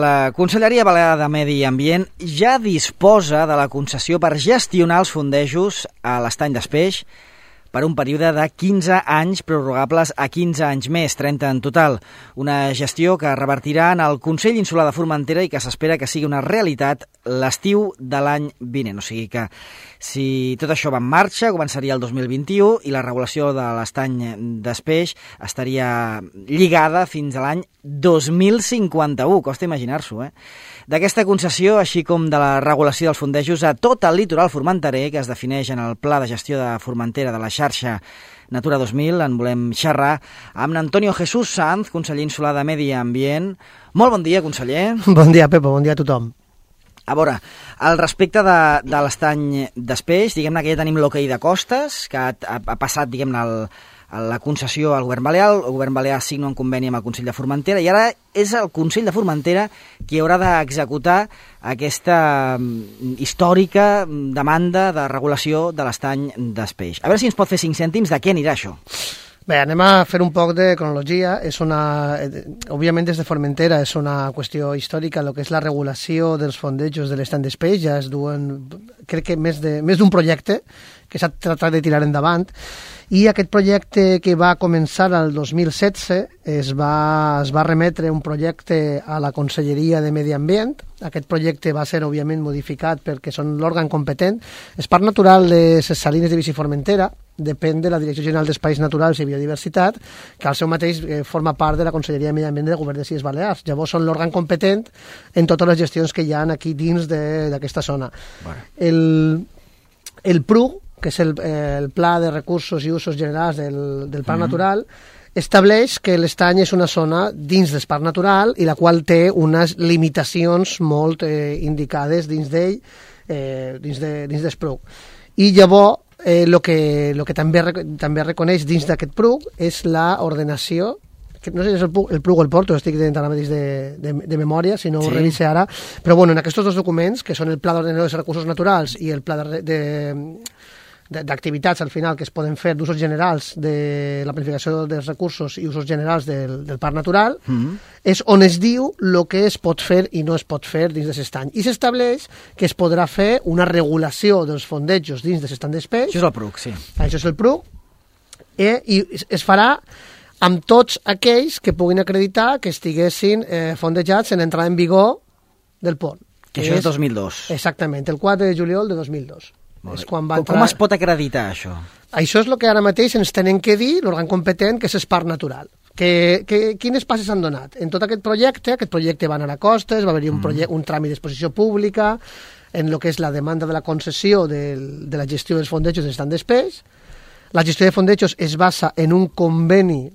La Conselleria Balear de Medi Ambient ja disposa de la concessió per gestionar els fondejos a l'estany d'Espeix per un període de 15 anys prorrogables a 15 anys més, 30 en total. Una gestió que revertirà en el Consell Insular de Formentera i que s'espera que sigui una realitat l'estiu de l'any vinent. O sigui que si tot això va en marxa, començaria el 2021 i la regulació de l'estany d'Espeix estaria lligada fins a l'any 2051, costa imaginar-s'ho, D'aquesta concessió, així com de la regulació dels fondejos a tot el litoral formenterer, que es defineix en el Pla de Gestió de Formentera de la xarxa Natura 2000, en volem xerrar amb Antonio Jesús Sanz, conseller insular de Medi Ambient. Molt bon dia, conseller. Bon dia, Pepo, bon dia a tothom. A veure, al respecte de l'estany d'Espeix, diguem-ne que ja tenim l'hoquei de costes, que ha passat, diguem-ne, la concessió al govern balear. El govern balear signa un conveni amb el Consell de Formentera i ara és el Consell de Formentera qui haurà d'executar aquesta històrica demanda de regulació de l'estany d'Espeix. A veure si ens pot fer 5 cèntims de què anirà això. Bé, anem a fer un poc de cronologia. Òbviament, des de Formentera és una qüestió històrica el que és la regulació dels fondejos de l'estany d'Espeix. Ja es duen, crec que més d'un projecte que s'ha tratat de tirar endavant. I aquest projecte que va començar el 2016 es va remetre un projecte a la Conselleria de Medi Ambient. Aquest projecte va ser, òbviament, modificat perquè són l'òrgan competent. És Parc Natural de Ses Salines de Vic i Formentera, depèn de la Direcció General d'Espais Naturals i Biodiversitat, que al seu mateix forma part de la Conselleria de Medi Ambient del Govern de les Illes Balears. Llavors són l'òrgan competent en totes les gestions que hi ha aquí dins d'aquesta zona. Bueno. El PRUG, que és el Pla de Recursos i Usos Generals del Parc Natural, estableix que l'estany és una zona dins del Parc Natural i la qual té unes limitacions molt indicades dins d'ell, dins del PRUG. I llavors, el que també reconeix dins d'aquest PRUG és l'ordenació, que no sé si és el PRUG o el Porto, estic dient ara mateix de memòria, si no ho revise ara, però bueno, en aquests dos documents, que són el Pla d'Ordenació dels Recursos Naturals i el Pla d'activitats al final que es poden fer d'usos generals de la planificació dels recursos i usos generals del Parc Natural, és on es diu el que es pot fer i no es pot fer dins de l'estany. I s'estableix que es podrà fer una regulació dels fondejos dins de l'estany d'Espeix. Això és el PRUG, sí. Això és el PRUG, i es farà amb tots aquells que puguin acreditar que estiguessin fondejats en l'entrada en vigor del pont. Que això és 2002. Exactament, el 4 de juliol de 2002. Com es pot acreditar això? Això és el que ara mateix ens tenen que dir l'òrgan competent, que és el Parc Natural. Quines passes s'han donat? En tot aquest projecte va anar a costes, va haver-hi un tràmit d'exposició pública, en el que és la demanda de la concessió de la gestió dels fondejos de l'estany d'Espeix. La gestió de fondejos es basa en un conveni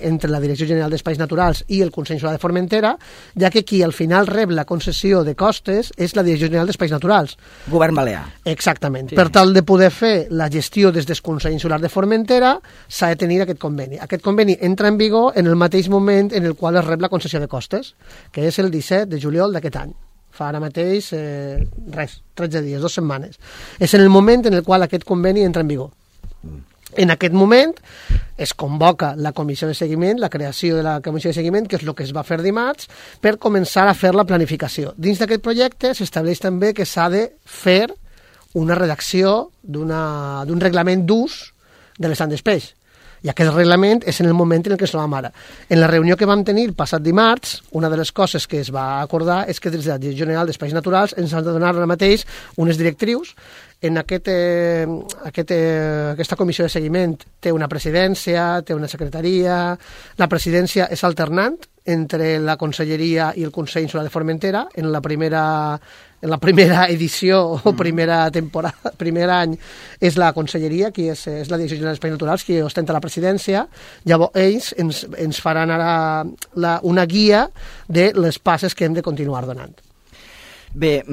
entre la Direcció General d'Espais Naturals i el Consell Insular de Formentera, ja que qui al final rep la concessió de costes és la Direcció General d'Espais Naturals. Govern balear. Exactament. Sí. Per tal de poder fer la gestió des del Consell Insular de Formentera s'ha de tenir aquest conveni. Aquest conveni entra en vigor en el mateix moment en el qual es rep la concessió de costes, que és el 17 de juliol d'aquest any. Fa ara mateix 13 dies, 2 setmanes. És en el moment en el qual aquest conveni entra en vigor. En aquest moment es convoca la comissió de seguiment, la creació de la comissió de seguiment, que és el que es va fer dimarts, per començar a fer la planificació. Dins d'aquest projecte s'estableix també que s'ha de fer una redacció d'un reglament d'ús de l'estany d'Espeix. I aquest reglament és en el moment en què es trobam ara. En la reunió que vam tenir el passat dimarts, una de les coses que es va acordar és que des de la Direcció General d'Espais Naturals ens han de donar ara mateix unes directrius. En aquesta comissió de seguiment té una presidència, té una secretaria. La presidència és alternant entre la Conselleria i el Consell Insular de Formentera. En la primera edició o primera temporada, primer any, és la Conselleria, qui és la Direcció General d'Espais Naturals, qui ostenta la presidència. Llavors ells ens faran ara una guia de les passes que hem de continuar donant. Bé,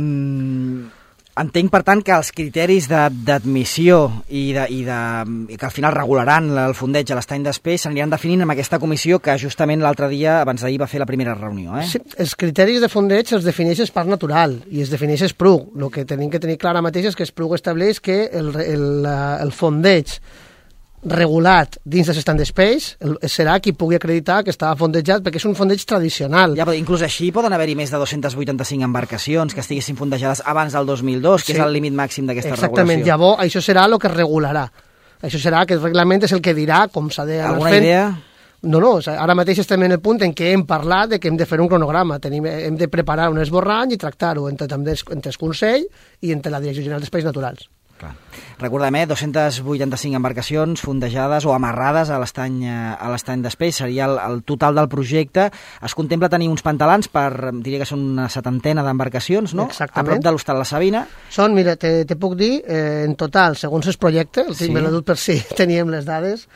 entenc, per tant, que els criteris d'admissió i que al final regularan el fondeig a l'estany d'Espeix s'aniran definint amb aquesta comissió que justament l'altre dia, abans d'ahir, va fer la primera reunió. Sí, els criteris de fondeig els defineix el Parc Natural i els defineix el PRUG. El que tenim que tenir clar ara mateix és que el PRUG estableix que el fondeig regulat dins de Stand Space, serà qui pugui acreditar que està fondejat, perquè és un fondeig tradicional. Ja, però inclús així poden haver-hi més de 285 embarcacions que estiguessin fondejades abans del 2002, que és el límit màxim d'aquesta regulació. Exactament, llavors això serà el que regularà. Això serà que el reglament és el que dirà com s'ha d'anar fent. Alguna idea? No, ara mateix estem en el punt en què hem parlat de que hem de fer un cronograma, hem de preparar un esborrany i tractar-ho entre el Consell i entre la Direcció General d'Espais Naturals. Clar. Recordem, 285 embarcacions fondejades o amarrades a l'estany d'Espeix, seria el total del projecte. Es contempla tenir uns pantalans per, diria que són una 70 d'embarcacions, no? Exactament. A prop de l'Hostal La Sabina. Són, mira, te puc dir, en total, segons el projecte, me l'he dut per si teníem les dades,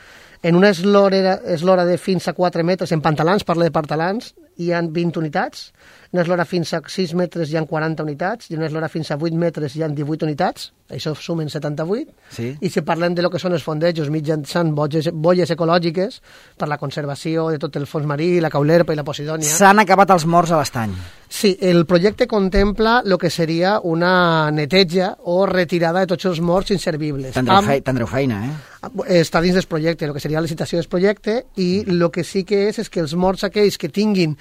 en una eslora de fins a 4 metres, en pantalans, parla de pantalans, hi ha 20 unitats, en una eslora fins a 6 metres hi ha 40 unitats, i en una eslora fins a 8 metres hi ha 18 unitats, això sumen 78, sí. I si parlem de lo que són els fondejos mitjançant bolles ecològiques per la conservació de tot el fons marí, la caulerpa i la posidònia. S'han acabat els morts a l'estany. Sí, el projecte contempla el que seria una neteja o retirada de tots els morts inservibles. Tindreu feina, Està dins del projecte, el que seria la licitació del projecte, i el que sí que és que els morts aquells que tinguin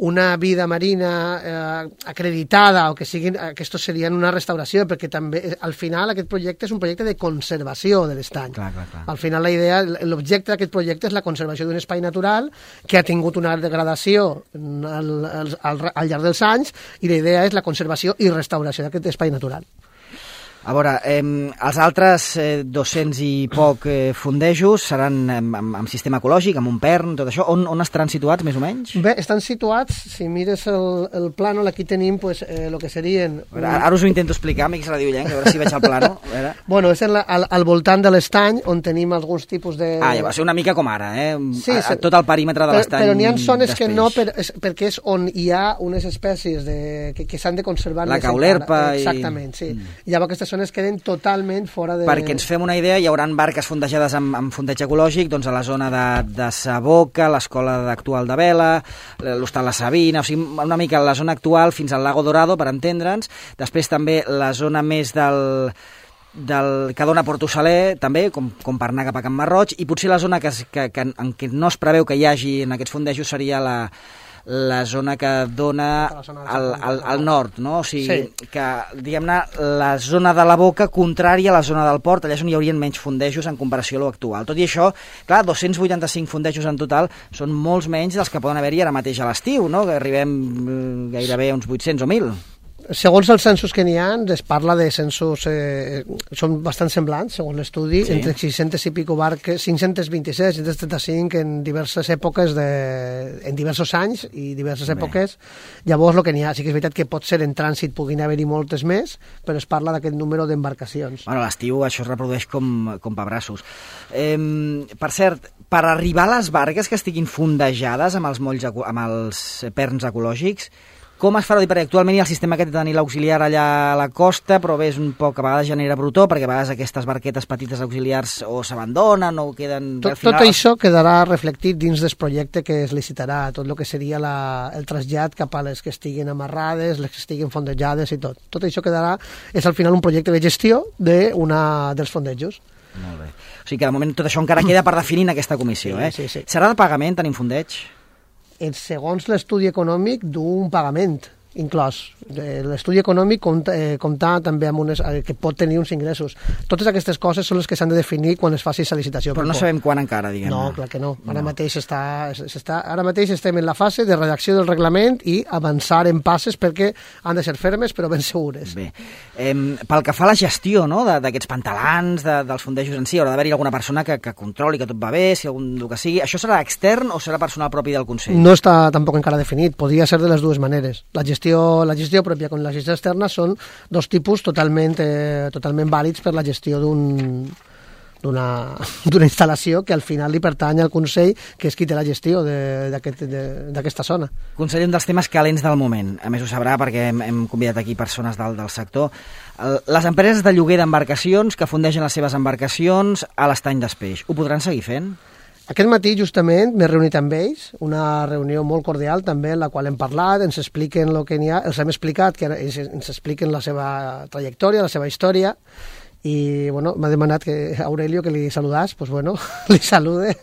una vida marina acreditada o que siguin, aquests serien una restauració, perquè també al final aquest projecte és un projecte de conservació de l'estany. Clar. Al final la idea, l'objecte d'aquest projecte és la conservació d'un espai natural que ha tingut una degradació al llarg dels anys, i la idea és la conservació i restauració d'aquest espai natural. A veure, els altres 200 i poc fondejos seran amb sistema ecològic, amb un PERN, tot això. On estaran situats, més o menys? Bé, estan situats, si mires el plànol, aquí tenim el que serien... Ara us ho intento explicar, amics radiollencs, a veure si veig el plànol. Bueno, és al voltant de l'estany, on tenim alguns tipus de... Ja va ser una mica com ara, Sí, tot el perímetre de l'estany. Però n'hi ha zones que no, perquè és on hi ha unes espècies que s'han de conservar. La caulerpa i... Exactament, sí. Llavors aquestes zones queden totalment fora de... Perquè ens fem una idea, hi haurà barques fondejades amb fondeig ecològic, doncs a la zona de Saboca, l'escola actual de Vela, l'Hostal La Sabina, o sigui, una mica la zona actual fins al Lago Dorado, per entendre'ns. Després també la zona més que dona Porto Saler, també, com per anar cap a Can Marroig, i potser la zona en què no es preveu que hi hagi en aquests fondejos seria la zona que dona al nord, no? O sigui, sí. Que, diguem-ne, la zona de la Boca contrària a la zona del port, allà és on hi haurien menys fondejos en comparació a l'actual. Tot i això, clar, 285 fondejos en total són molts menys dels que poden haver-hi ara mateix a l'estiu, no? Que arribem gairebé a uns 800 o 1.000. Segons els censos que n'hi ha, es parla de censos, són bastant semblants, segons l'estudi, sí. Entre 600 i pico barques, 526, 535 en diverses èpoques, en diversos anys i diverses èpoques. Llavors, el que n'hi ha, sí que és veritat que pot ser en trànsit, puguin haver-hi moltes més, però es parla d'aquest número d'embarcacions. Bueno, a l'estiu això es reprodueix com pebrassos. Per cert, per arribar a les barques que estiguin fondejades amb els perns ecològics, com es farà? Perquè actualment hi ha el sistema aquest de tenir l'auxiliar allà a la costa, però bé, és un poc, a vegades genera brutó, perquè a vegades aquestes barquetes petites auxiliars o s'abandonen o queden... Tot això quedarà reflectit dins del projecte que es licitarà, tot el que seria el trasllat cap a les que estiguin amarrades, les que estiguin fondejades i tot. Tot això quedarà, és al final un projecte de gestió dels fondejos. Molt bé. O sigui que de moment tot això encara queda per definir en aquesta comissió, sí. Serà de pagament tenir un fondeig? Segons l'estudi econòmic d'un pagament inclòs. L'estudi econòmic compta també amb que pot tenir uns ingressos. Totes aquestes coses són les que s'han de definir quan es faci la licitació. Però no sabem quan encara, diguem-ne. No, clar que no. Ara mateix estem en la fase de redacció del reglament i avançar en passes perquè han de ser fermes però ben segures. Bé. Pel que fa a la gestió, no?, d'aquests pantalans, dels fondejos en si, haurà d'haver-hi alguna persona que controli que tot va bé, si algun el que sigui. Això serà extern o serà personal propi del Consell? No està tampoc encara definit. Podria ser de les dues maneres. La gestió pròpia com la gestió externa són dos tipus totalment vàlids per la gestió d'una instal·lació que al final li pertany al Consell, que és qui té la gestió d'aquesta zona. Conseller, un dels temes calents del moment, a més ho sabrà perquè hem convidat aquí persones del sector, les empreses de lloguer d'embarcacions que fondegen les seves embarcacions a l'estany d'Espeix, ho podran seguir fent? Aquest matí, justament, m'he reunit amb ells, una reunió molt cordial també, en la qual hem parlat, ens expliquen el que n'hi ha, els hem explicat, ens expliquen la seva trajectòria, la seva història, i bueno, m'ha demanat que Aurelio que li saludàs, doncs bueno, li salude.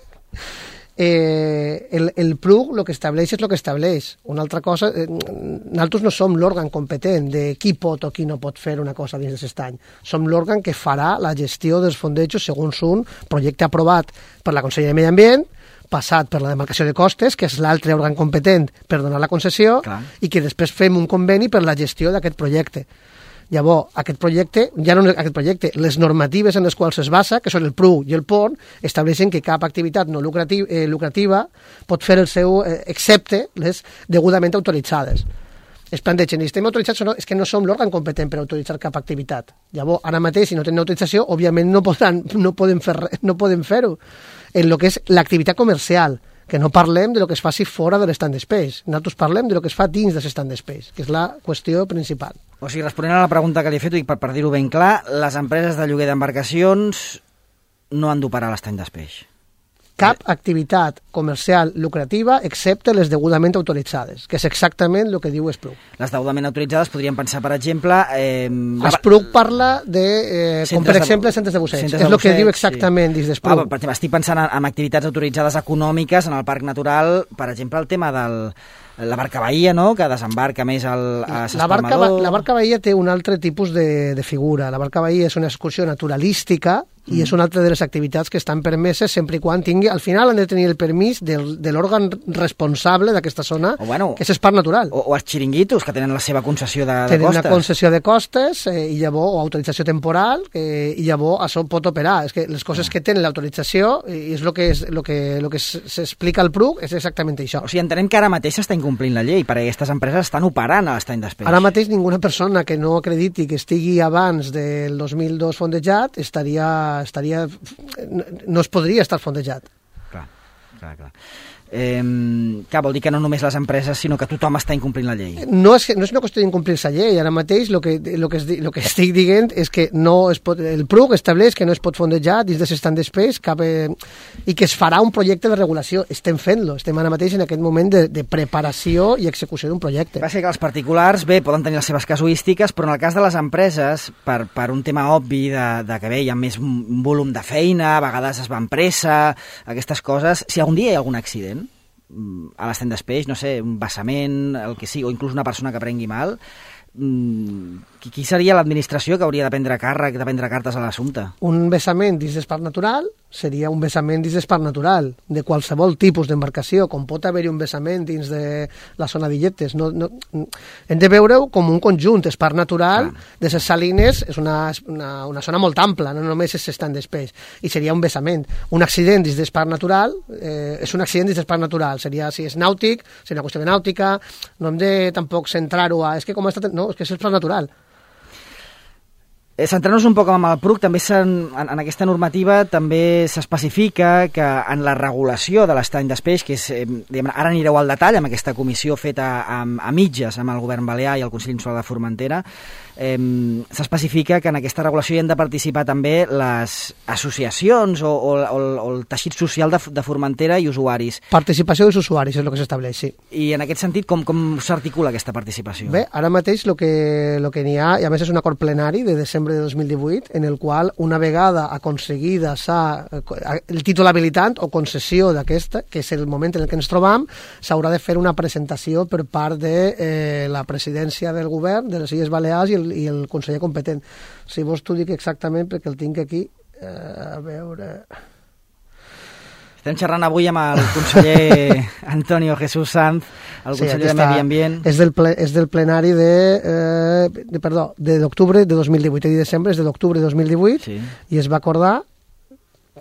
El PRUC el que estableix és el que estableix. Una altra cosa, nosaltres no som l'òrgan competent de qui pot o qui no pot fer una cosa dins d'aquest any. Som l'òrgan que farà la gestió dels fondejos segons un projecte aprovat per la Conselleria de Medi Ambient, passat per la demarcació de costes, que és l'altre òrgan competent per donar la concessió, i que després fem un conveni per la gestió d'aquest projecte. Llavors, aquest projecte, ja no aquest projecte, les normatives en les quals es basa, que són el PRU i el PON, estableixen que cap activitat no lucrativa pot fer el seu, excepte les degudament autoritzades. Es plantegen, i estem autoritzats o no, és que no som l'òrgan competent per autoritzar cap activitat. Llavors, ara mateix, si no tenen autorització, òbviament no poden fer-ho en el que és l'activitat comercial, que no parlem de lo que es faci fora de l'stand space. Nosaltres parlem de lo que es fa dins de l'stand space, que és la qüestió principal. O sigui, responent a la pregunta que li he fet, i per dir-ho ben clar, les empreses de lloguer d'embarcacions no han d'operar a l'estany space. Cap activitat comercial lucrativa excepte les degudament autoritzades, que és exactament el que diu Espluc. Les degudament autoritzades podríem pensar, per exemple... Espluc parla de, com per exemple, centres de busseig. És el que diu exactament dins d'Espluc. Per exemple, estic pensant en activitats autoritzades econòmiques en el parc natural, per exemple, el tema de la barca bahia, no?, que desembarca més a S'Espalmador. La barca bahia té un altre tipus de figura. La barca bahia és una excursió naturalística i és una altra de les activitats que estan permeses sempre i quan tingui... Al final han de tenir el permís de l'òrgan responsable d'aquesta zona, que és el parc natural. O els xiringuitos, que tenen la seva concessió de costes. Tenen una concessió de costes i llavors, o autorització temporal, i llavors això pot operar. És que les coses que tenen l'autorització, i és el que s'explica al PRUC, és exactament això. O sigui, entenem que ara mateix s'està incomplint la llei, perquè aquestes empreses estan operant a l'estany d'espeix. Ara mateix ninguna persona que no acrediti que estigui abans del 2002 fondejat no es podria estar fondejat. Clar. Vol dir que no només les empreses, sinó que tothom està incomplint la llei. No és una qüestió d'incomplir la llei. Ara mateix el que estic dient és que el PRUC estableix que no es pot fondejar dins de l'stand space i que es farà un projecte de regulació. Estem fent-lo. Estem ara mateix en aquest moment de preparació i execució d'un projecte. Va ser que els particulars, poden tenir les seves casuístiques, però en el cas de les empreses, per un tema obvi de que hi ha més volum de feina, a vegades es van pressa, aquestes coses, si algun dia hi ha algun accident a l'estany d'espeix, no sé, un vessament, el que sigui, o inclús una persona que prengui mal, qui seria l'administració que hauria de prendre cartes a l'assumpte? Un vessament dins del parc natural seria un vessament dins del parc natural, de qualsevol tipus d'embarcació, com pot haver-hi un vessament dins de la zona d'illetes. Hem de veure-ho com un conjunt. El parc natural de les salines és una zona molt ampla, no només és l'estany d'espeix, i seria un vessament. Un accident dins del parc natural és un accident dins del parc natural. Seria, si és nàutic, seria una qüestió de nàutica, no hem de tampoc centrar-ho a... És que com ha estat... No, és que és el parc natural. Centrant-nos un poc amb el PRUC, també en aquesta normativa també s'especifica que en la regulació de l'estany d'espeix, que és, ara anireu al detall amb aquesta comissió feta a mitges amb el govern balear i el Consell Insular de Formentera, s'especifica que en aquesta regulació hi han de participar també les associacions o el teixit social de Formentera i usuaris. Participació dels usuaris és el que s'estableix, sí. I en aquest sentit, com s'articula aquesta participació? Bé, ara mateix el que n'hi ha, i a més és un acord plenari de desembre de 2018, en el qual una vegada aconseguida el títol habilitant o concessió d'aquesta, que és el moment en què ens trobam, s'haurà de fer una presentació per part de la presidència del govern de les Illes Balears i el conseller competent. Si vols t'ho dic exactament perquè el tinc aquí, a veure... Estem xerrant avui amb el conseller Antonio Jesús Sanz, el conseller de Medi Ambient. És del plenari d'octubre de 2018, de desembre, és de l'octubre de 2018, sí. I es va acordar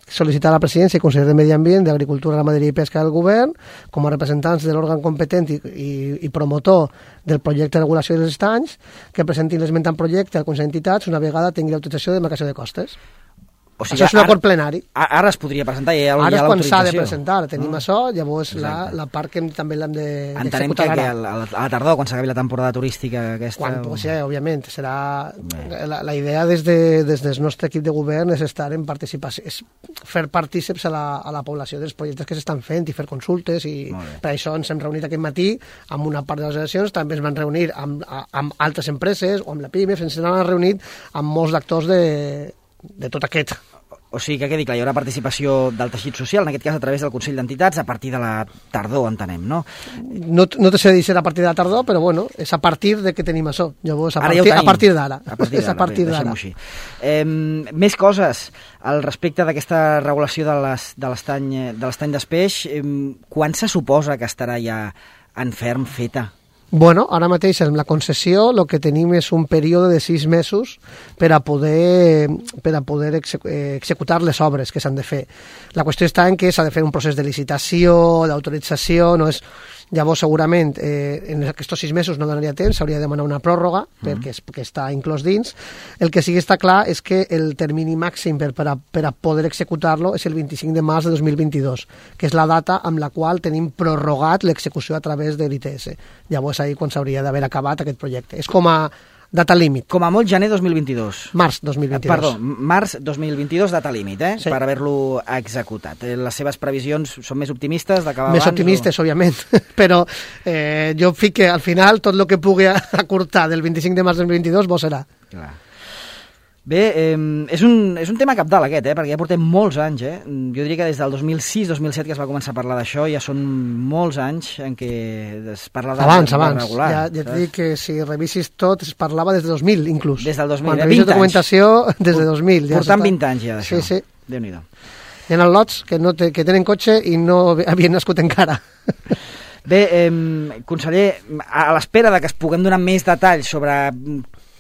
sol·licitar a la presidència i conseller de Medi Ambient, d'Agricultura, Ramaderia i Pesca del govern, com a representants de l'òrgan competent i promotor del projecte de regulació dels estanys, que presentin l'esmentant projecte al Consell d'Entitats una vegada tingui l'autorització de demarcació de costes. O sigui, això és un acord plenari. Ara es podria presentar, ja hi ha l'autorització. Ara és quan s'ha de presentar, tenim això, llavors la part que també l'hem d'executar. Entenem que a la tardor, quan s'acabi la temporada turística aquesta... Sí, òbviament, serà... La idea des del nostre equip de govern és estar en participació, és fer partíceps a la població dels projectes que s'estan fent i fer consultes, i per això ens hem reunit aquest matí amb una part de les associacions, també ens van reunir amb altres empreses o amb la PIME, ens han reunit amb molts actors tot aquest. O sigui que quedi clar, hi haurà participació del teixit social, en aquest cas a través del Consell d'Entitats, a partir de la tardor, entenem, no? No te sé dir si serà a partir de la tardor, però bueno, és a partir de que tenim això. Llavors, a partir d'ara. És a partir d'ara. Deixem-ho així. Més coses al respecte d'aquesta regulació de l'estany d'espeix. Quan se suposa que estarà ja en ferm feta? Bueno, ara mateix amb la concessió el que tenim és un període de 6 mesos per a poder executar les obres que s'han de fer. La qüestió està en que s'ha de fer un procés de licitació, d'autorització, no és... Llavors, segurament, en aquests 6 mesos no donaria temps, s'hauria de demanar una pròrroga, perquè està inclòs dins. El que sí que està clar és que el termini màxim per a poder executar-lo és el 25 de març de 2022, que és la data amb la qual tenim prorrogat l'execució a través de l'ITS. Llavors, ahir quan s'hauria d'haver acabat aquest projecte. És com a data límit. Com a molt gener 2022. Març 2022. Perdó, març 2022, data límit, Sí. Per haver-lo executat. Les seves previsions són més optimistes d'acabar abans? Més optimistes, òbviament, però jo fic que al final tot el que pugui acurtar del 25 de març 2022 bo serà. Clar. Bé, és un tema cabdal aquest, perquè ja portem molts anys, Jo diria que des del 2006-2007 que es va començar a parlar d'això, ja són molts anys en què es parla de regular. Ja t'he dit que si revisis tot es parlava des de 2000, inclús. Des del 2000, quan revisis documentació, des de 2000. Portant 20 anys ja d'això. Sí. Déu-n'hi-do. Hi ha lots que tenen cotxe i no havien nascut encara. Bé, conseller, a l'espera de que es puguem donar més detalls sobre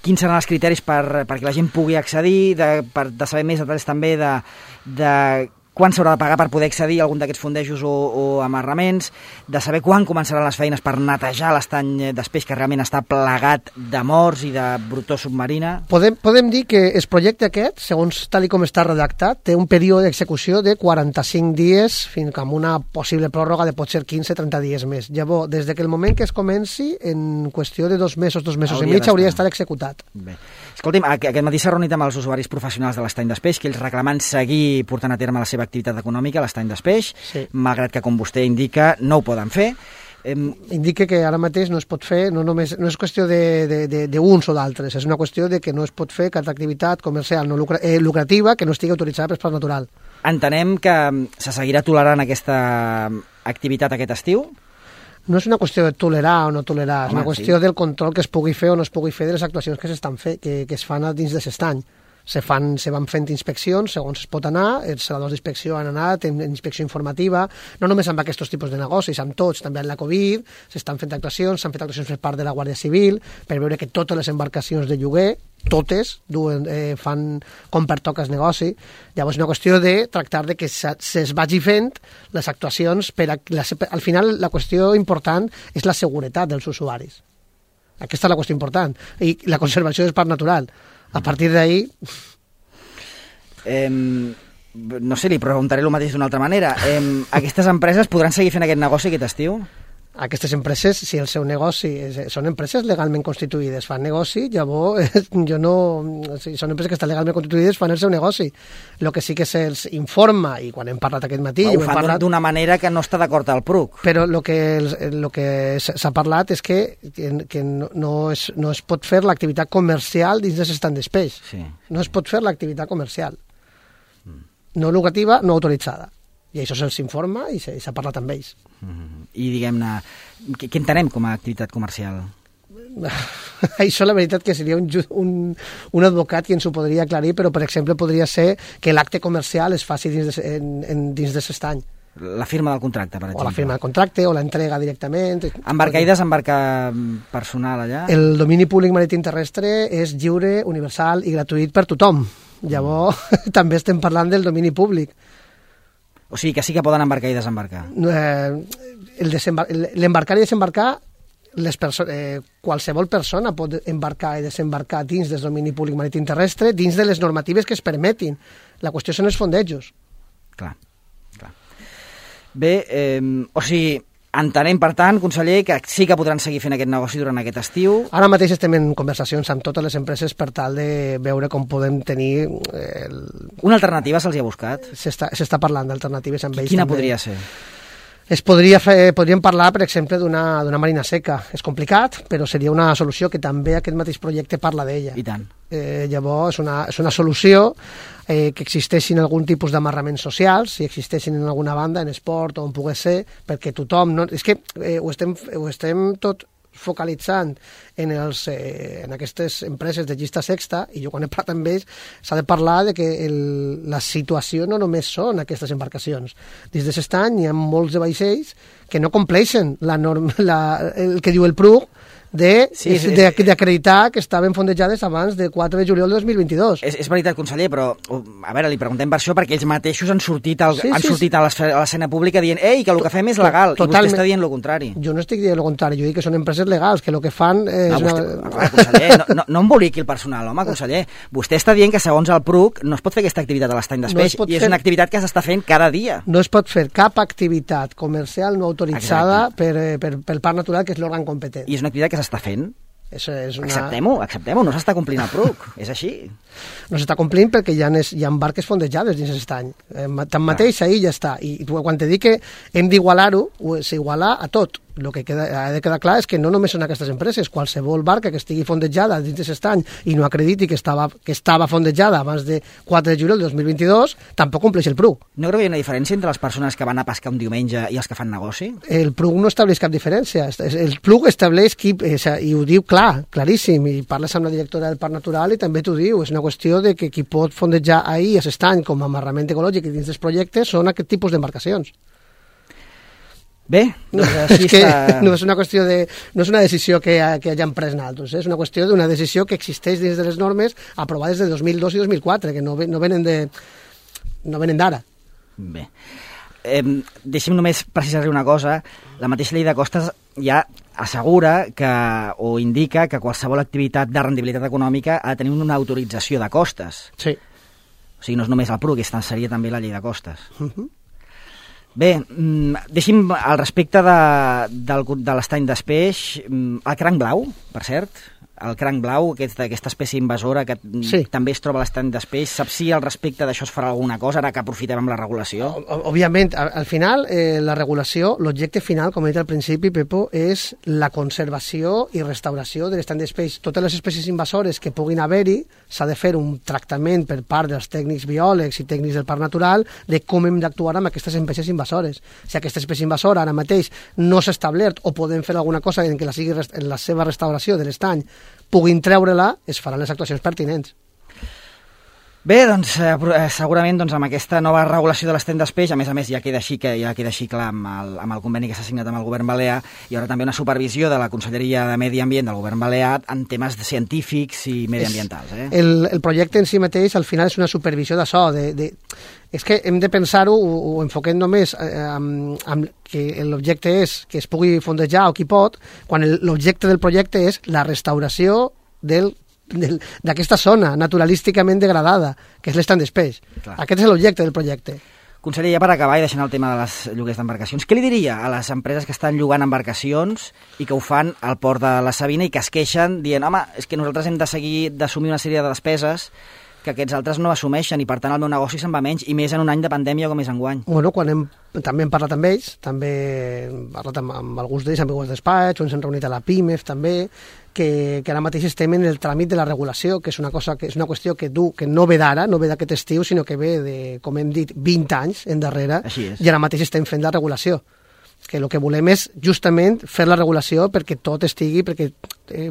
quins seran els criteris perquè la gent pugui accedir, de saber més detalls també de quan s'haurà de pagar per poder accedir a algun d'aquests fondejos o amarraments, de saber quan començaran les feines per netejar l'estany d'espeix que realment està plagat de morts i de brutó submarina. Podem dir que el projecte aquest, segons tal com està redactat, té un període d'execució de 45 dies fins amb una possible pròrroga de potser 15-30 dies més. Llavors, des que el moment que es comenci, en qüestió de 2 mesos i mig, hauria d'estar executat. Bé. Escolti'm, aquest matí s'ha reunit amb els usuaris professionals de l'estany d'espeix, que ells reclamant seguir portant a terme la seva activitat econòmica a l'estany d'espeix, malgrat que, com vostè indica, no ho poden fer. Indica que ara mateix no es pot fer, no és qüestió d'uns o d'altres, és una qüestió de que no es pot fer cap activitat comercial no lucrativa que no estigui autoritzada per Parc Natural. Entenem que se seguirà tolerant aquesta activitat aquest estiu? No és una qüestió de tolerar o no tolerar, és una qüestió del control que es pugui fer o no es pugui fer de les actuacions que es fan dins de l'estany. Se van fent inspeccions segons es pot anar, els celadors d'inspecció han anat en inspecció informativa, no només amb aquests tipus de negocis, amb tots, també amb la Covid, s'estan fent actuacions, s'han fet actuacions per part de la Guàrdia Civil, per veure que totes les embarcacions de lloguer, totes, fan com pertoca el negoci. Llavors és una qüestió de tractar de que es vagi fent les actuacions, al final la qüestió important és la seguretat dels usuaris. Aquesta és la qüestió important, i la conservació del parc natural. A partir d'ahí... No sé, li preguntaré el mateix d'una altra manera. Aquestes empreses podran seguir fent aquest negoci aquest estiu? Aquestes empreses, si el seu negoci són empreses legalment constituïdes, fan negoci, llavors si són empreses que estan legalment constituïdes fan el seu negoci. El que sí que se'ls informa, i quan hem parlat aquest matí... Ho fan d'una manera que no està d'acord al PRUC. Però el que s'ha parlat és que no es pot fer l'activitat comercial dins de l'estany d'espeix. Sí. No es pot fer l'activitat comercial. No lucrativa, no autoritzada. I això se'ls informa i s'ha parlat amb ells. I diguem-ne, què entenem com a activitat comercial? Això la veritat que seria un advocat qui ens ho podria aclarir, però per exemple podria ser que l'acte comercial es faci dins de l'estany. La firma del contracte, per exemple. O la firma del contracte, o l'entrega directament. Embarcar i desembarcar personal allà? El domini públic marítim terrestre és lliure, universal i gratuït per tothom. Llavors, també estem parlant del domini públic. O sigui que sí que poden embarcar i desembarcar. L'embarcar i desembarcar, qualsevol persona pot embarcar i desembarcar dins del domini públic marítim terrestre, dins de les normatives que es permetin. La qüestió són els fondejos. Clar. Bé, o sigui, entenem, per tant, conseller, que sí que podran seguir fent aquest negoci durant aquest estiu. Ara mateix estem en conversacions amb totes les empreses per tal de veure com podem tenir... Una alternativa se'ls ha buscat? S'està parlant d'alternatives amb ells. Quina podria ser? Podríem parlar, per exemple, d'una marina seca. És complicat, però seria una solució que també aquest mateix projecte parla d'ella. I tant. Llavors, és una solució que existeixin algun tipus d'amarraments socials, si existeixin en alguna banda, en esport o on pogués ser, perquè tothom... No, és que ho estem tot focalitzant en aquestes empreses de llista sexta, i jo quan he parlat amb ells s'ha de parlar de que la situació no només són aquestes embarcacions. Dins d'aquest any hi ha molts de vaixells que no compleixen el que diu el PRUC d'acreditar que estaven fondejades abans del 4 de juliol de 2022. És veritat, conseller, però a veure, li preguntem per això perquè ells mateixos han sortit a l'escena pública dient que el que fem és legal, i vostè està dient el contrari. Jo no estic dient el contrari, jo dic que són empreses legals, que el que fan és... Conseller, no emboliqui el personal, home, conseller. Vostè està dient que segons el PRUC no es pot fer aquesta activitat a l'estany d'Espeix, i és una activitat que s'està fent cada dia. No es pot fer cap activitat comercial no autoritzada pel Parc Natural, que és l'òrgan competent. I és una activitat que s'està fent. Acceptem-ho, no s'està complint el PRUC, és així. No s'està complint perquè hi ha barques fondejades dins aquest any. Tanmateix, ahir ja està. I quan te dic que hem d'igualar-ho, s'iguala a tot. El que ha de quedar clar és que no només són aquestes empreses, qualsevol barca que estigui fondejada dins d'aquest any i no acrediti que estava fondejada abans de 4 de juliol de 2022, tampoc compleix el PRUC. No creu que hi ha una diferència entre les persones que van a pescar un diumenge i els que fan negoci? El PRUC no estableix cap diferència. El PRUC estableix i ho diu claríssim, i parles amb la directora del Parc Natural i també t'ho diu, és una qüestió de que qui pot fondejar ahir a aquest any com a amarrament ecològic i dins dels projectes són aquest tipus d'embarcacions. Bé, és que no és una qüestió no és una decisió que hagin pres naltros, és una qüestió d'una decisió que existeix dins de les normes aprovades de 2002 i 2004, que no venen d'ara. Bé, deixi'm només precisar-li una cosa. La mateixa llei de costes ja assegura o indica que qualsevol activitat de rendibilitat econòmica ha de tenir una autorització de costes. Sí. O sigui, no és només el PRUC, seria també la llei de costes. Bé, deixi'm al respecte de l'estany d'Espeix, el cranc blau, per cert, el cranc blau, aquesta espècie invasora que també es troba a l'estany d'Espeix, sap si al respecte d'això es farà alguna cosa, ara que aprofitem amb la regulació? Òbviament, al final, la regulació, l'objecte final, com he dit al principi, Pepo, és la conservació i restauració de l'estany d'Espeix. Totes les espècies invasores que puguin haver-hi, s'ha de fer un tractament per part dels tècnics biòlegs i tècnics del Parc Natural de com hem d'actuar amb aquestes espècies invasores. Si aquesta espècie invasora ara mateix no s'ha establert o podem fer alguna cosa en la seva restauració de l'estany puguin treure-la, es faran les actuacions pertinents. Bé, doncs segurament amb aquesta nova regulació de l'estany d'Espeix, a més ja queda així clar amb el conveni que s'ha signat amb el govern balear, hi haurà també una supervisió de la Conselleria de Medi Ambient del govern balear en temes científics i mediambientals. El projecte en si mateix al final és una supervisió d'això, és que hem de pensar-ho, ho enfoquem només amb que l'objecte és que es pugui fondejar o qui pot, quan l'objecte del projecte és la restauració d'aquesta zona naturalísticament degradada, que és l'estany d'Espeix. Aquest és l'objecte del projecte. Conseller, ja per acabar i deixant el tema de les lloguers d'embarcacions, què li diria a les empreses que estan llogant embarcacions i que ho fan al port de la Sabina i que es queixen dient, home, és que nosaltres hem de seguir d'assumir una sèrie de despeses que aquests altres no assumeixen i per tant el meu negoci se'n va menys i més en un any de pandèmia com és enguany? Bueno, també hem parlat amb ells, també hem parlat amb alguns d'ells, amb el despatx, ens hem reunit a la PIMEF també, que ara mateix estem en el tràmit de la regulació, que és una qüestió que no ve d'ara, no ve d'aquest estiu, sinó que ve de, com hem dit, 20 anys endarrere, i ara mateix estem fent la regulació. Que el que volem és justament fer la regulació perquè tot estigui, perquè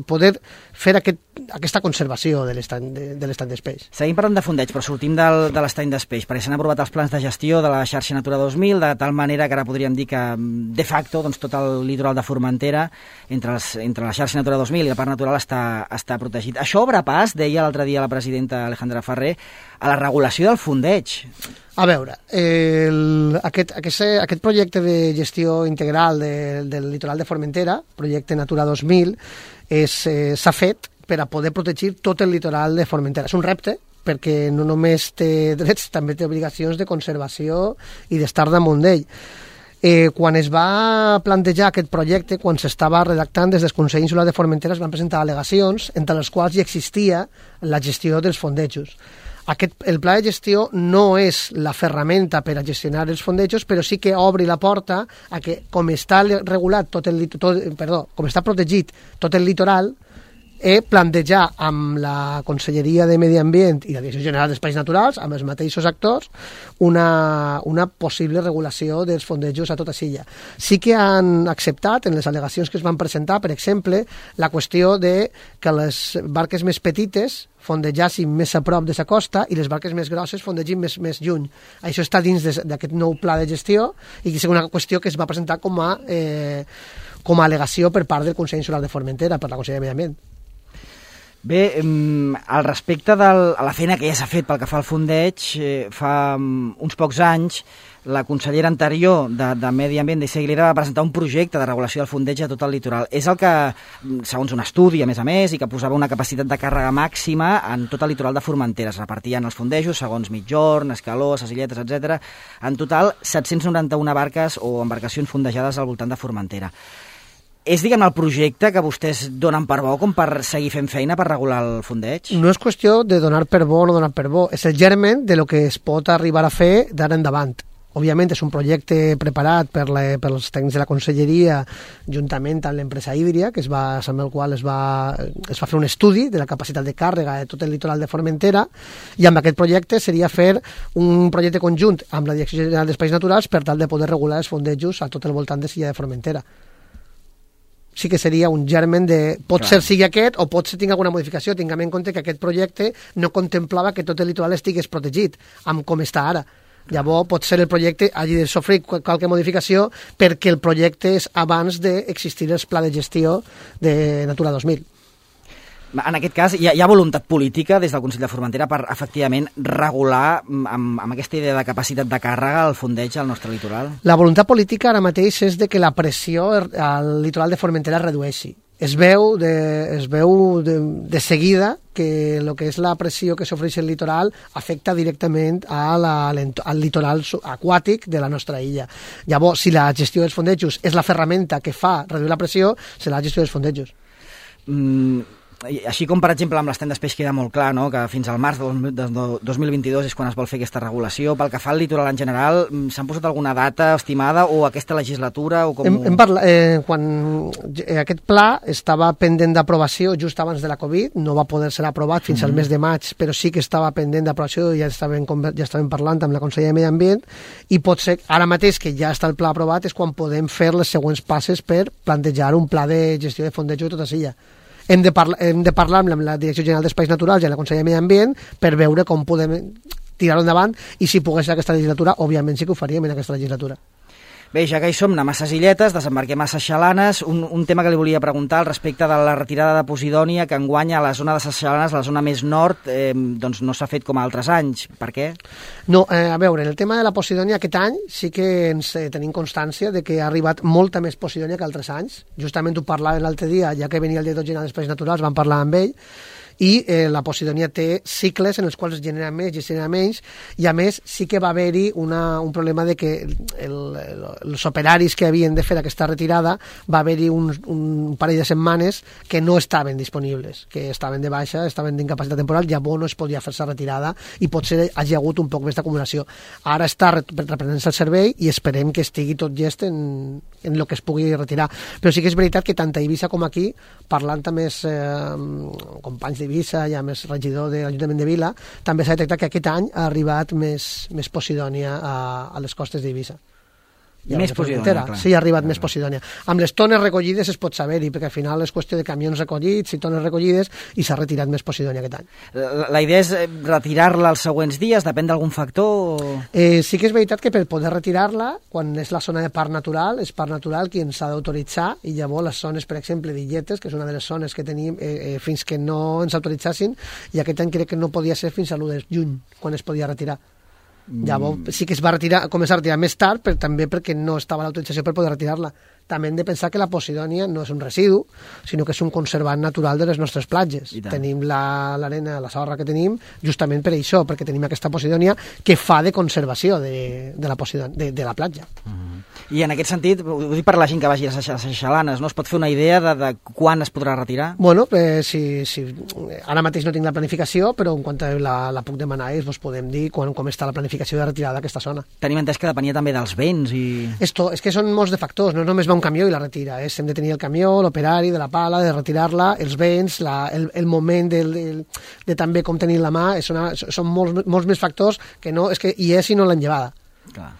poder fer aquesta conservació de l'estany d'Espeix. Seguim parlant de fondeig, però sortim de l'estany d'Espeix, perquè s'han aprovat els plans de gestió de la xarxa Natura 2000, de tal manera que ara podríem dir que, de facto, tot el litoral de Formentera, entre la xarxa Natura 2000 i el Parc Natural, està protegit. Això obre pas, deia l'altre dia la presidenta Alejandra Ferrer, a la regulació del fondeig. A veure, aquest projecte de gestió integral del litoral de Formentera, projecte Natura 2000, s'ha fet per a poder protegir tot el litoral de Formentera. És un repte, perquè no només té drets, també té obligacions de conservació i d'estar damunt d'ell. Quan es va plantejar aquest projecte, quan s'estava redactant des del Consell Insular de Formentera, es van presentar al·legacions entre les quals hi existia la gestió dels fondejos. El pla de gestió no és la ferramenta per a gestionar els fondejos, però sí que obri la porta a que, com està regulat com està protegit tot el litoral, plantejar amb la Conselleria de Medi Ambient i la Direcció General d'Espais Naturals, amb els mateixos actors, una possible regulació dels fondejos a tota Silla. Sí que han acceptat, en les al·legacions que es van presentar, per exemple, la qüestió de que les barques més petites fondegassin més a prop de la costa i les barques més grosses fondegin més lluny. Això està dins d'aquest nou pla de gestió i és una qüestió que es va presentar com a al·legació per part del Consell Insular de Formentera, per la Conselleria de Medi Ambient. Bé, al respecte de la feina que ja s'ha fet pel que fa al fondeig, fa uns pocs anys la consellera anterior de Medi Ambient, d'Issa Aguilera, va presentar un projecte de regulació del fondeig a tot el litoral. És el que, segons un estudi, a més, i que posava una capacitat de càrrega màxima en tot el litoral de Formentera. Es repartien els fondejos segons Migjorn, Escaló, Ses Illetes, etc. En total, 791 barques o embarcacions fondejades al voltant de Formentera. És, diguem, el projecte que vostès donen per bo com per seguir fent feina per regular el fondeig? No és qüestió de donar per bo o no donar per bo, és el germen de lo que es pot arribar a fer d'ara endavant. Òbviament és un projecte preparat pels tècnics de la Conselleria juntament amb l'empresa hídria, amb el qual es va fer un estudi de la capacitat de càrrega de tot el litoral de Formentera, i amb aquest projecte seria fer un projecte conjunt amb la Direcció General d'Espais Naturals per tal de poder regular els fondejos a tot el voltant de Silla de Formentera. Sí que seria un germen de... Pot ser sigui aquest o pot ser tingui alguna modificació. Tinguem en compte que aquest projecte no contemplava que tot el litoral estigués protegit, amb com està ara. Llavors, pot ser el projecte hagi de sofrir qualque modificació perquè el projecte és abans d'existir el pla de gestió de Natura 2000. En aquest cas, hi ha voluntat política des del Consell de Formentera per, efectivament, regular amb aquesta idea de capacitat de càrrega el fondeig al nostre litoral? La voluntat política ara mateix és de que la pressió al litoral de Formentera es redueixi. Es veu de seguida que el que és la pressió que s'ofereix el litoral afecta directament al litoral aquàtic de la nostra illa. Llavors, si la gestió dels fondejos és la ferramenta que fa reduir la pressió, serà la gestió dels fondejos. Així com, per exemple, amb l'estany d'espeix queda molt clar, no?, que fins al març de 2022 és quan es vol fer aquesta regulació. Pel que fa al litoral en general, s'han posat alguna data estimada o aquesta legislatura? O com... Quan aquest pla estava pendent d'aprovació just abans de la Covid, no va poder ser aprovat fins al mes de maig, però sí que estava pendent d'aprovació i ja estàvem parlant amb la Conselleria de Medi Ambient, i pot ser, ara mateix que ja està el pla aprovat, és quan podem fer les següents passes per plantejar un pla de gestió de fondejo de tota Silla. Hem de parlar amb la Direcció General d'Espais Naturals i la Conselleria de Medi Ambient per veure com podem tirar-ho endavant, i si pogués ser aquesta legislatura, òbviament sí que ho faríem en aquesta legislatura. Bé, ja que hi som, anem a Ses Illetes, desembarquem a Ses Xalanes. Un tema que li volia preguntar al respecte de la retirada de Posidònia, que enguany a la zona de Ses Xalanes, la zona més nord, doncs no s'ha fet com altres anys. Per què? No, a veure, en el tema de la Posidònia aquest any sí que tenim constància de que ha arribat molta més Posidònia que altres anys. Justament ho parlàvem l'altre dia, ja que venia el director general d'Espais Naturals, vam parlar amb ell, i la Posidònia té cicles en els quals es genera més i es genera menys, i a més sí que va haver-hi un problema de que els operaris que havien de fer aquesta retirada va haver-hi un parell de setmanes que no estaven disponibles, que estaven de baixa, estaven d'incapacitat temporal, llavors no es podia fer-se retirada i potser hagi hagut un poc més d'acumulació. Ara està reprenent-se el servei i esperem que estigui tot llest en el que es pugui retirar. Però sí que és veritat que tant a Eivissa com aquí, parlant amb els companys d'Eivissa i amb el regidor de l'Ajuntament de Vila, també s'ha detectat que aquest any ha arribat més Posidònia a les costes d'Eivissa. Més Posidònia, clar. Sí, ha arribat més Posidònia. Amb les tones recollides es pot saber-hi, perquè al final és qüestió de camions recollits i tones recollides, i s'ha retirat més Posidònia aquest any. La idea és retirar-la els següents dies? Depèn d'algun factor? Sí que és veritat que per poder retirar-la, quan és la zona de parc natural, és parc natural qui ens ha d'autoritzar, i llavors les zones, per exemple, d'Illetes, que és una de les zones que tenim fins que no ens autoritzassin, i aquest any crec que no podia ser fins a l'1 de juny, quan es podia retirar. Llavors sí que es va començar a retirar més tard, però també perquè no estava l'autorització per poder retirar-la. també hem de pensar que la Posidònia no és un residu, sinó que és un conservant natural de les nostres platges. Tenim l'arena, la sorra que tenim, justament per això, perquè tenim aquesta Posidònia que fa de conservació de la platja. I en aquest sentit, ho dic per la gent que vagi a les Seychelles, no? Es pot fer una idea de quan es podrà retirar? Bueno, ara mateix no tinc la planificació, però en quant la puc demanar vos podem dir com està la planificació de retirada d'aquesta zona. Tenim entès que depenia també dels vents i... És que són molts de factors, no només va un camió i la retira, hem de tenir el camió, l'operari de la pala, de retirar-la, els vents, el moment de també com tenir la mà, són molts més factors que no, és que hi és i no l'han llevada. Clar.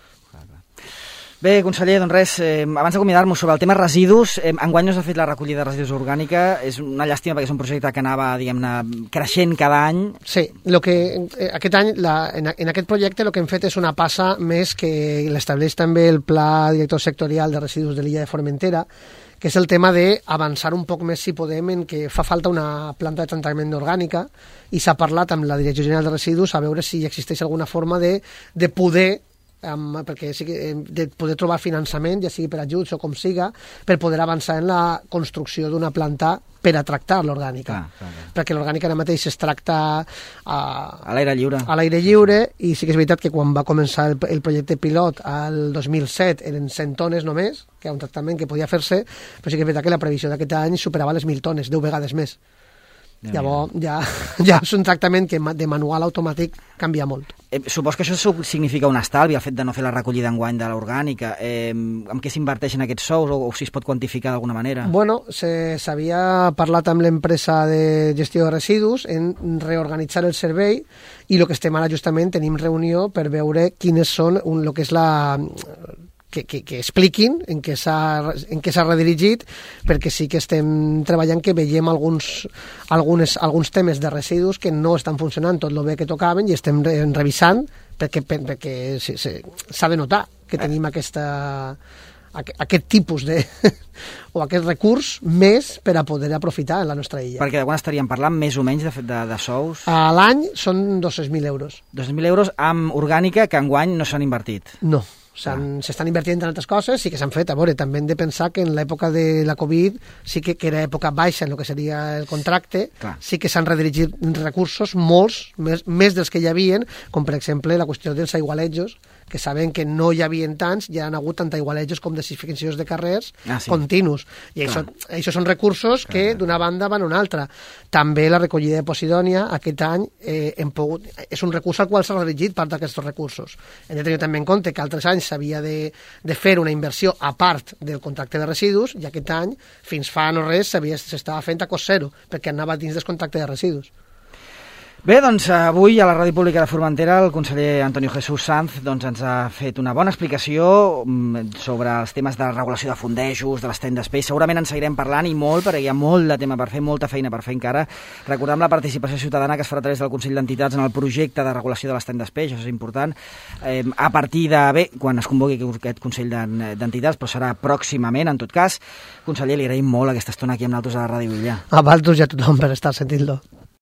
Bé, conseller, doncs res, abans d'acomiadar-nos sobre el tema residus, enguany no s'ha fet la recollida de residus orgànica, és una llàstima perquè és un projecte que anava, diguem-ne, creixent cada any. Sí, aquest any, en aquest projecte, el que hem fet és una passa més que l'estableix també el Pla Director Sectorial de Residus de l'illa de Formentera, que és el tema d'avançar un poc més, si podem, en que fa falta una planta de tractament orgànica i s'ha parlat amb la Direcció General de Residus a veure si existeix alguna forma de poder perquè sí que de poder trobar finançament, ja sigui per ajuts o com siga, per poder avançar en la construcció d'una planta per a tractar l'orgànica. Perquè l'orgànica ara mateix es tracta a l'aire lliure. A l'aire lliure, i sí que és veritat que quan va començar el projecte pilot al 2007 eren 100 tones només, que era un tractament que podia fer-se, però sí que és veritat que la previsió d'aquest any superava les 1.000 tones, 10 vegades més. Llavors ja és un tractament que de manual automàtic canvia molt. Supos que això significa un estalvi, el fet de no fer la recollida enguany de l'orgànica. Amb què s'inverteixen aquests sous o si es pot quantificar d'alguna manera? Bueno, s'havia parlat amb l'empresa de gestió de residus en reorganitzar el servei i el que estem ara justament tenim reunió per veure quines són el que és que expliquin en què s'ha redirigit, perquè sí que estem treballant que veiem alguns temes de residus que no estan funcionant tot el bé que tocaven i estem revisant perquè s'ha de notar que tenim aquest tipus o aquest recurs més per a poder aprofitar en la nostra illa. Perquè de quan estaríem parlant més o menys de sous? A l'any són 200.000 euros. 200.000 euros amb orgànica que enguany no s'han invertit? No. S'estan invertint en altres coses, sí que s'han fet. A veure, també hem de pensar que en l'època de la Covid sí que era època baixa en el que seria el contracte. Clar. Sí que s'han redirigit recursos, molts, més dels que hi havien, com per exemple la qüestió dels aigualejos, que sabem que no hi havia tants, ja han hagut tant aigualejos com desificacions de carrers continus. I això són recursos que d'una banda van a una altra. També la recollida de Posidònia aquest any és un recurs al qual s'ha dirigit part d'aquests recursos. Hem de tenir també en compte que altres anys s'havia de fer una inversió a part del contracte de residus i aquest any, fins fa no res, s'estava fent a cost zero, perquè anava dins del contracte de residus. Bé, doncs avui a la Ràdio Pública de Formentera el conseller Antonio Jesús Sanz ens ha fet una bona explicació sobre els temes de regulació de fondejos, de l'estany d'espais. Segurament en seguirem parlant i molt, perquè hi ha molt de tema per fer, molta feina per fer encara. Recordem la participació ciutadana que es farà a través del Consell d'Entitats en el projecte de regulació de l'estany d'espais, això és important. A partir quan es convoqui aquest Consell d'Entitats, però serà pròximament, en tot cas. Conseller, li agraïm molt aquesta estona aquí amb nosaltres a la Ràdio Illa. A vosaltres i a tothom per estar sentint-lo.